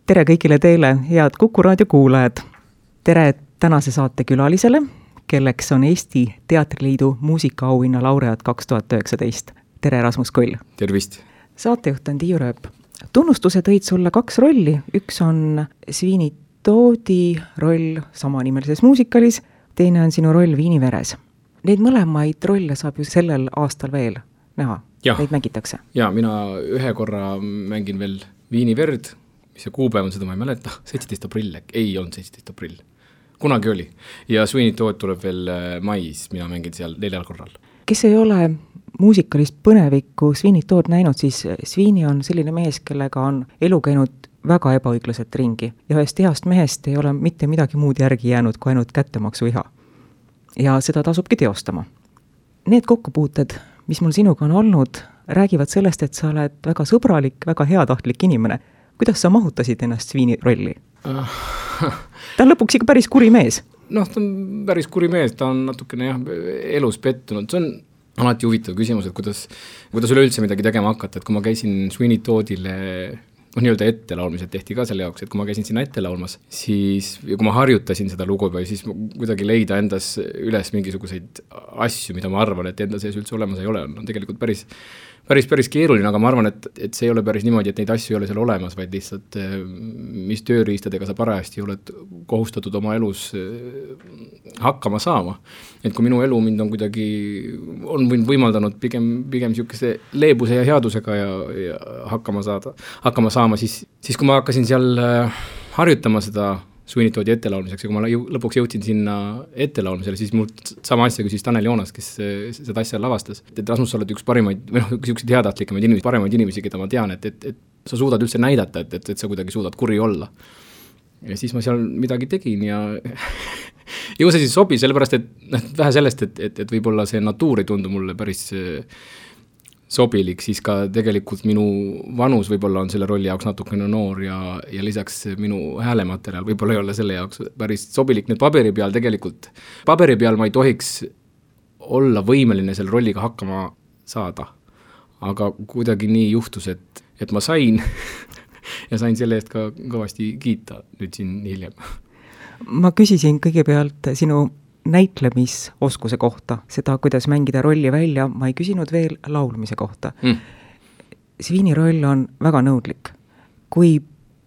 Tere kõigile teile, head Kuku raadio kuulajad. Tere tänase saate külalisele, kelleks on Eesti Teatriliidu muusikaauhinna laureaat 2019. Tere Rasmus Koll. Tervist. Saatejuht on Tiiu Rööp. Tunnustuse tõid sulle 2 rolli. Üks on Sweeney Toddi roll samanimelises muusikalis, teine on sinu roll Viini veres. Neid mõlemaid rolle saab ju sellel aastal veel näha. Neid mängitakse. Ja, mina ühe korra mängin veel Viini verd, mis see kuupäev on, seda ma ei mäleta. 17. aprill, ei olnud 17. aprill. Kunagi oli. Ja Sweeney Todd tuleb veel mais, mina mängin seal 4 korral. Kes ei ole muusikalist põnevikku Sweeney Todd näinud, siis Sweeney on selline mees, kellega on elu käinud väga ebaõiglaselt ringi. Ja ühest heast mehest ei ole mitte midagi muud järgi jäänud kui ainult kättemaksuiha. Ja seda tasubki teostama. Need kokkupuuted, mis mul sinuga on olnud, räägivad sellest, et sa oled väga sõbralik, väga heatahtlik inimene. Kuidas sa mahutasid ennast Sweeney rolli? Ta on lõpuks ikka päris kuri mees. Ta on päris kuri mees, ta on natukene elus pettunud. See on alati huvitav küsimus, et kuidas üleüldse midagi tegema hakata, et kui ma käisin Sweeney Toddile nii-öelda ette laulmised tehti ka selle jaoks, et kui ma käisin sinna ette laulmas, siis kui ma harjutasin seda lugu või siis kuidagi leida endas üles mingisuguseid asju, mida ma arvan, et enda sees üldse olemas ei ole, on tegelikult päris keeruline, aga ma arvan, et see ei ole päris niimoodi, et neid asju ei ole seal olemas, vaid lihtsalt mis tööriistadega sa parajasti oled kohustatud oma elus hakkama saama. Et kui minu elu mind on kuidagi võimaldanud pigem siukese leebuse ja headusega ja hakkama saama, siis kui ma hakkasin seal harjutama seda Sweeney Toddi ettelaulmiseks ja kui ma lõpuks jõudsin sinna ettelaulmisele, siis mul sama asja küsis Tanel Joonas, kes seda asja lavastas. Et Rasmus, sa oled üks parimaid, üks headahtlikemaid inimesi, parimaid inimesi, keda ma tean, et sa suudad üldse näidata, et sa kuidagi suudad kuri olla. Ja siis ma seal midagi tegin ja ju see siis sobi, sellepärast, et vähe sellest, et võib-olla see natuur ei tundu mulle päris sobilik, siis ka tegelikult minu vanus võib-olla on selle rolli jaoks natukene noor ja lisaks minu häälematerjal võib-olla ei ole selle jaoks päris sobilik. Nüüd paberi peal ma ei tohiks olla võimeline selle rolliga hakkama saada, aga kuidagi nii juhtus, et ma sain ja sain selle eest ka kõvasti kiita nüüd siin hiljem. Ma küsisin kõigepealt sinu näitlemisoskuse kohta, seda, kuidas mängida rolli välja, ma ei küsinud veel laulmise kohta. Sweeney roll on väga nõudlik. Kui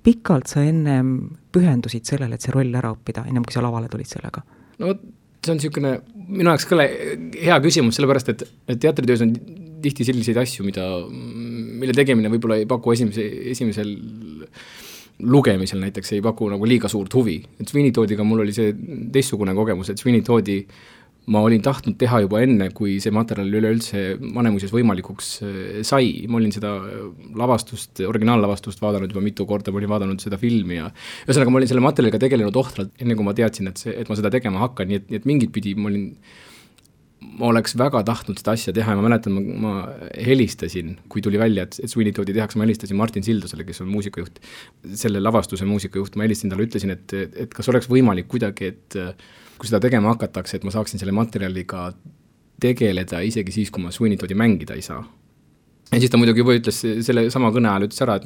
pikalt sa ennem pühendusid sellele, et see roll ära õppida, ennem kui sa lavale tulid sellega? No see on niisugune, minu jaoks kõle hea küsimus, sellepärast, et teatritöös on tihti selliseid asju, mille tegemine võib-olla ei paku esimesel lugemisel näiteks ei paku nagu liiga suurt huvi. Et Sweeney Toddiga mul oli see teistsugune kogemus, et Sweeney Toddi ma olin tahtnud teha juba enne, kui see materjal üleüldse Vanemuises võimalikuks sai. Ma olin seda originaallavastust vaadanud juba mitu korda, ma olin vaadanud seda filmi ja ühesõnaga ma olin selle materjaliga tegelenud ohtralt, enne kui ma teadsin, et ma seda tegema hakkan, nii et mingit pidi ma oleks väga tahtnud seda asja teha ja ma mäletan, ma helistasin, kui tuli välja, et Sweeney Toddi tehakse, ma helistasin Martin Sildusele, kes on muusikajuht, selle lavastuse muusikajuht, ma helistasin talle, ütlesin, et kas oleks võimalik kuidagi, et kui seda tegema hakatakse, et ma saaksin selle materjaliga tegeleda isegi siis, kui ma Sweeney Toddi mängida ei saa. Ja siis ta muidugi juba ütles selle sama kõne ajal, ütles ära,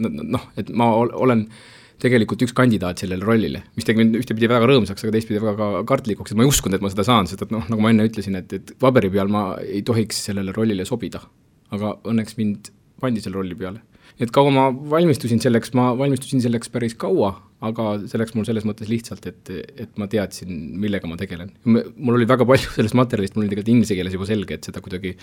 et ma olen tegelikult üks kandidaat sellele rollile, mis tegi mind ühtepidi väga rõõmsaks, aga teistpidi väga kartlikuks, et ma ei uskunud, et ma seda saan, sest nagu ma enne ütlesin, et paberi peal ma ei tohiks sellele rollile sobida, aga õnneks mind pandi selle rolli peale. Et kaua ma valmistusin selleks päris kaua, aga selleks mul selles mõttes lihtsalt, et ma teadsin, millega ma tegelen. Mul oli väga palju sellest materjalist, mul oli tegelikult inglise keeles juba selge, et seda kuidagi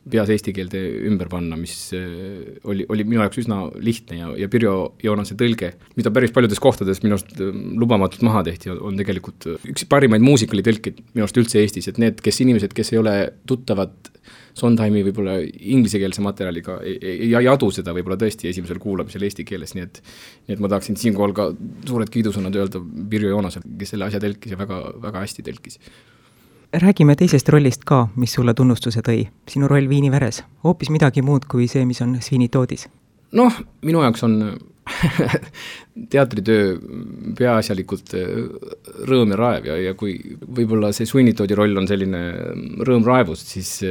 peas eesti keelde ümber panna, mis oli minu jaoks üsna lihtne ja Pirjo Joonase tõlge, mida päris paljudes kohtades minust lubamatult maha tehti, on tegelikult üks parimaid muusikalitõlkid minust üldse Eestis, et need inimesed, kes ei ole tuttavad Sondheimi võib-olla inglisekeelse materjaliga ei adu seda võib-olla tõesti esimesel kuulamisel eesti keeles, nii et ma tahaksin siinkohal ka suured kiidusõnad öelda Pirjo Joonasel, kes selle asja tõlkis ja väga, väga hästi tõlkis. Räägime teisest rollist ka, mis sulle tunnustuse tõi. Sinu roll Viini veres. Hoopis midagi muud kui see, mis on Sweeney Toddis. Minu jaoks on teatritöö peaasjalikult rõõm ja raev ja kui võib-olla see Sweeney Toddi roll on selline rõõm raevust, siis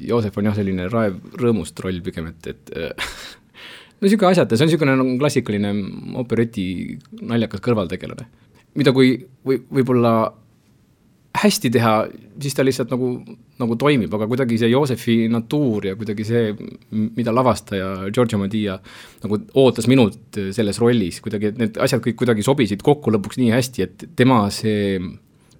Joosef on selline raev rõõmust roll pigem, et no niisugune asjata, see on niisugune klassikaline opereti naljakas kõrvaltegelane, mida kui võib-olla hästi teha, siis ta lihtsalt nagu toimib, aga kuidagi see Joosefi natuur ja kuidagi see, mida lavastaja Giorgio Madia nagu ootas minult selles rollis, kuidagi, et need asjad kõik kuidagi sobisid kokku lõpuks nii hästi, et tema see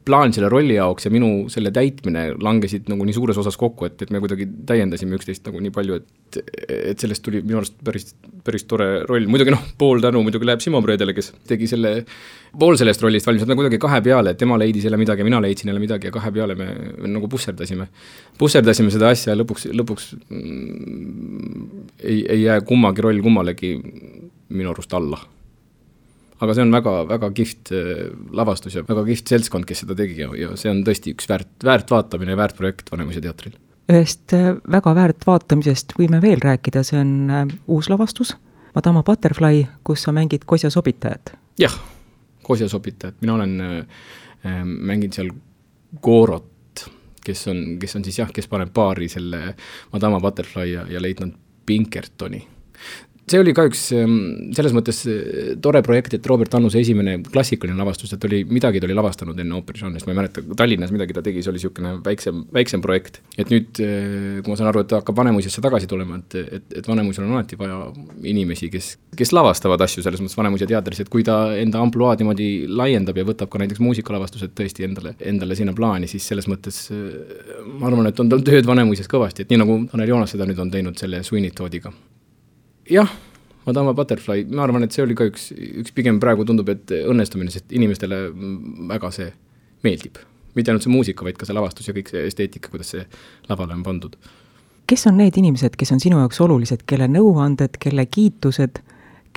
plaan selle rolli jaoks ja minu selle täitmine langesid nagu nii suures osas kokku, et me kuidagi täiendasime üksteist nagu nii palju, et sellest tuli minu arust päris tore roll. Muidugi pool tänu muidugi läheb Simo Predele, kes tegi selle pool sellest rollist valmis, et me kuidagi kahe peale, et tema leidis jälle midagi, mina leidsin jälle midagi ja kahe peale me nagu pusserdasime seda asja ja lõpuks ei jää kummagi roll kummalegi minu arust alla. Aga see on väga kihvt lavastus ja väga kihvt seltskond, kes seda tegi ja see on tõesti üks väärt vaatamine ja väärt projekt Vanemuise teatril. Ühest väga väärt vaatamisest võime veel rääkida, see on uus lavastus, Madama Butterfly, kus sa mängid Kosja sobitajat. Jah, Kosja sobitajat, mina olen mänginud seal Gorot, kes on siis kes paneb paari selle Madama Butterfly ja leitnant Pinkertoni. See oli ka üks selles mõttes tore projekt, et Robert Annuse esimene klassikaline lavastus, et midagi ta oli lavastanud enne ooperižanrist, ma ei mäleta, Tallinnas midagi ta tegi, see oli niisugune väiksem projekt. Et nüüd, kui ma saan aru, et ta hakkab Vanemuisesse tagasi tulema, et Vanemuisel on alati vaja inimesi, kes lavastavad asju selles mõttes Vanemuise teatris, et kui ta enda ampluaad niimoodi laiendab ja võtab ka näiteks muusikalavastused tõesti endale sinna plaani, siis selles mõttes ma arvan, et on tal tööd Vanemuises kõvasti, et nii nagu Tanel Joonas seda nüüd on teinud selle Sweeney Toodiga. Jah, Madama Butterfly, ma arvan, et see oli ka üks pigem praegu tundub, et õnnestumine, sest inimestele väga see meeldib. Mitte ainult see muusika, vaid ka see lavastus ja kõik see esteetika, kuidas see lavale on pandud. Kes on need inimesed, kes on sinu jaoks olulised, kelle nõuanded, kelle kiitused,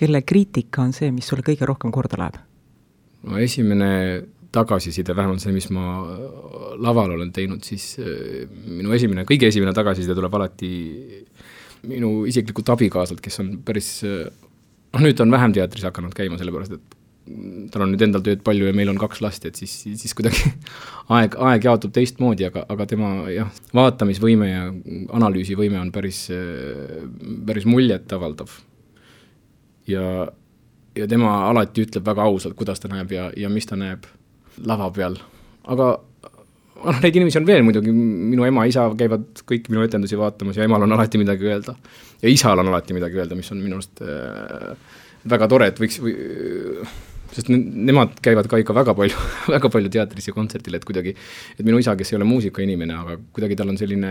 kelle kriitika on see, mis sulle kõige rohkem korda läheb? No esimene tagasiside, vähemalt see, mis ma laval olen teinud, siis minu kõige esimene tagasiside tuleb alati minu isiklikult abikaasalt, kes on päris, nüüd on vähem teatris hakanud käima, sellepärast, et tal on nüüd endal tööd palju ja meil on 2 last, et siis kuidagi aeg jaotub teistmoodi, aga tema vaatamisvõime ja analüüsivõime on päris muljet avaldav. Ja tema alati ütleb väga ausalt, kuidas ta näeb ja mis ta näeb lava peal. Aga neid inimesi on veel muidugi, minu ema, isa käivad kõik minu etendusi vaatamas ja emal on alati midagi öelda. Ja isal on alati midagi öelda, mis on minu arust väga tore, et sest nemad käivad ka ikka väga palju teatris ja kontserdil, et kuidagi, et minu isa, kes ei ole muusikainimene, aga kuidagi tal on selline,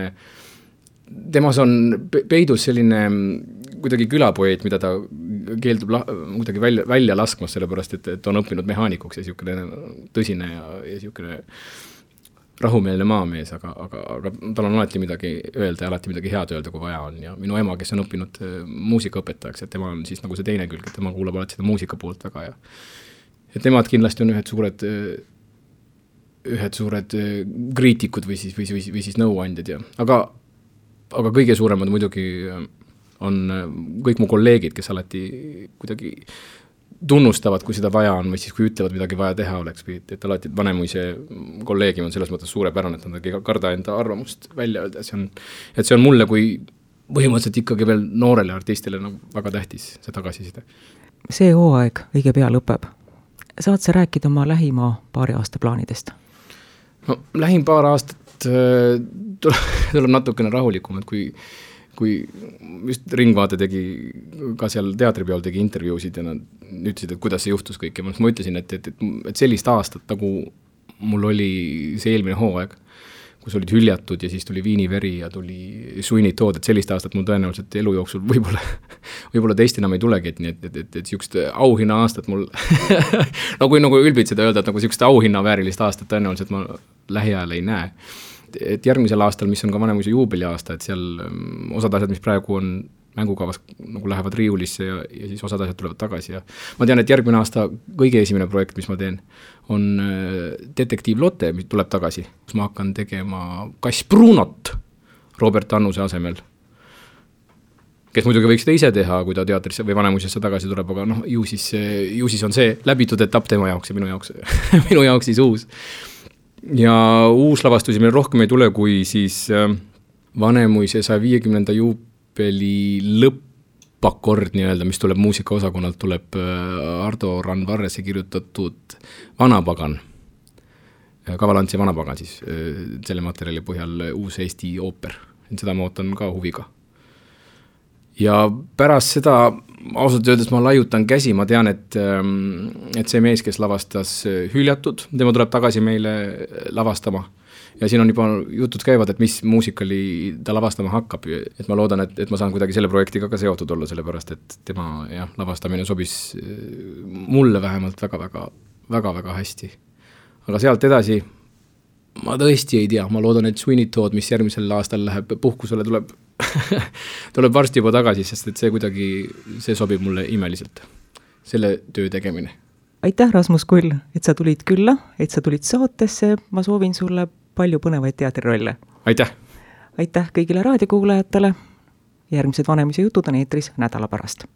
temas on peidus selline kuidagi külapoeet, mida ta keeldub kuidagi välja laskmas, sellepärast, et on õppinud mehaanikuks ja niisugune tõsine ja niisugune rahumeelne maamees, aga tal on alati midagi öelda ja alati midagi head öelda, kui vaja on. Ja minu ema, kes on õppinud muusikaõpetajaks, et tema on siis nagu see teine külg, et tema kuulab alati seda muusika poolt väga ja et nemad kindlasti on ühed suured kriitikud või siis nõuandjad. Aga kõige suuremad muidugi on kõik mu kolleegid, kes alati kuidagi tunnustavad, kui seda vaja on, või siis kui ütlevad midagi vaja teha oleks, et alati Vanemuise kolleegium on selles mõttes suurepärane, et nad ei karda enda arvamust välja öelda, et see on mulle kui põhimõtteliselt ikkagi veel noorele artistile nagu väga tähtis see tagasiside. See hooaeg õige pea lõpeb. Saad sa rääkida oma lähima paari aasta plaanidest? No, lähim paar aastat tuleb natukene rahulikum, et kui just Ringvaate tegi ka seal teatripeol tegi intervjuusid ja nad ütlesid, et kuidas see juhtus kõik ja ma ütlesin, et sellist aastat nagu mul oli see eelmine hooaeg, kus olid Hüljatud ja siis tuli Viiniveri ja tuli Sweeney Tood, et sellist aastat mul tõenäoliselt elu jooksul võib-olla teist enam ei tulegi, et siukest auhinna aastat mul nagu ülbid seda öelda, et nagu siukest auhinna väärilist aastat tõenäoliselt ma lähiajal ei näe. Et järgmisel aastal, mis on ka Vanemuise juubeli aasta, et seal osad asjad, mis praegu on mängukavas, nagu lähevad riiulisse ja siis osad asjad tulevad tagasi. Ja ma tean, et järgmine aasta kõige esimene projekt, mis ma teen, on Detektiiv Lotte, mis tuleb tagasi. Ma hakkan tegema Kass Brunot Robert Annuse asemel, kes muidugi võiks seda ise teha, kui ta teatrisse või Vanemuisesse tagasi tuleb, aga ju siis on see läbitud etapp tema jaoks ja minu jaoks siis uus. Ja uus lavastusi meil rohkem ei tule, kui siis Vanemuise 150. juubeli lõppakord nii-öelda, mis tuleb muusikaosakonnalt, tuleb Ardo Randvarrese kirjutatud Vanapagan, Kavalantsi Vanapagan siis, selle materjali põhjal uus Eesti ooper. Seda ma ootan ka huviga. Ja pärast seda ausalt öeldes ma laiutan käsi, ma tean, et see mees, kes lavastas Hüljatud, tema tuleb tagasi meile lavastama. Ja siin on juba jutud käivad, et mis muusikali ta lavastama hakkab, et ma loodan, et ma saan kuidagi selle projektiga ka seotud olla, sellepärast et tema lavastamine sobis mulle vähemalt väga hästi. Aga sealt edasi ma tõesti ei tea, ma loodan, et Sweeney Todd, mis järgmisel aastal läheb puhkusele, tuleb varsti juba tagasi, sest et see sobib mulle imeliselt, selle töö tegemine. Aitäh, Rasmus Kull, et sa tulid külla, et sa tulid saatesse, ma soovin sulle palju põnevaid teatrirolle. Aitäh! Aitäh kõigile raadiokuulajatele, järgmised Vanemise jutud on eetris nädala pärast.